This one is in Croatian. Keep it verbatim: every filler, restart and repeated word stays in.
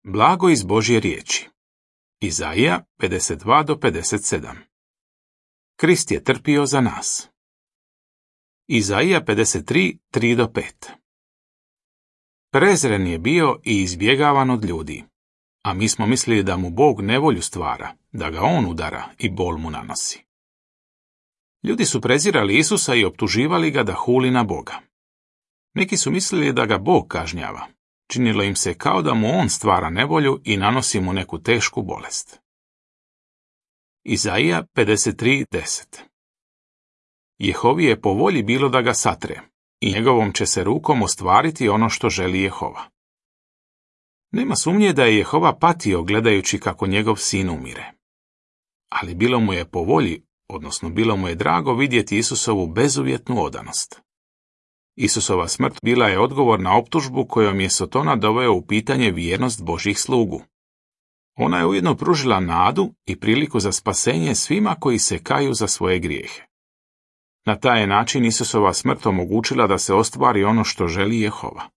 Blago iz Božje riječi. Izaija pedeset dva do pedeset sedam. Krist je trpio za nas. Izaija pedeset tri, tri do pet. Prezren je bio i izbjegavan od ljudi, a mi smo mislili da mu Bog nevolju stvara, da ga on udara i bol mu nanosi. Ljudi su prezirali Isusa i optuživali ga da huli na Boga. Neki su mislili da ga Bog kažnjava. Činilo im se kao da mu on stvara nevolju i nanosi mu neku tešku bolest. Izaija pedeset tri, deset. Jehovi je po volji bilo da ga satre, i njegovom će se rukom ostvariti ono što želi Jehova. Nema sumnje da je Jehova patio gledajući kako njegov sin umire. Ali bilo mu je po volji, odnosno bilo mu je drago vidjeti Isusovu bezuvjetnu odanost. Isusova smrt bila je odgovor na optužbu kojom je Sotona doveo u pitanje vjernost Božjih slugu. Ona je ujedno pružila nadu i priliku za spasenje svima koji se kaju za svoje grijehe. Na taj način Isusova smrt omogućila da se ostvari ono što želi Jehova.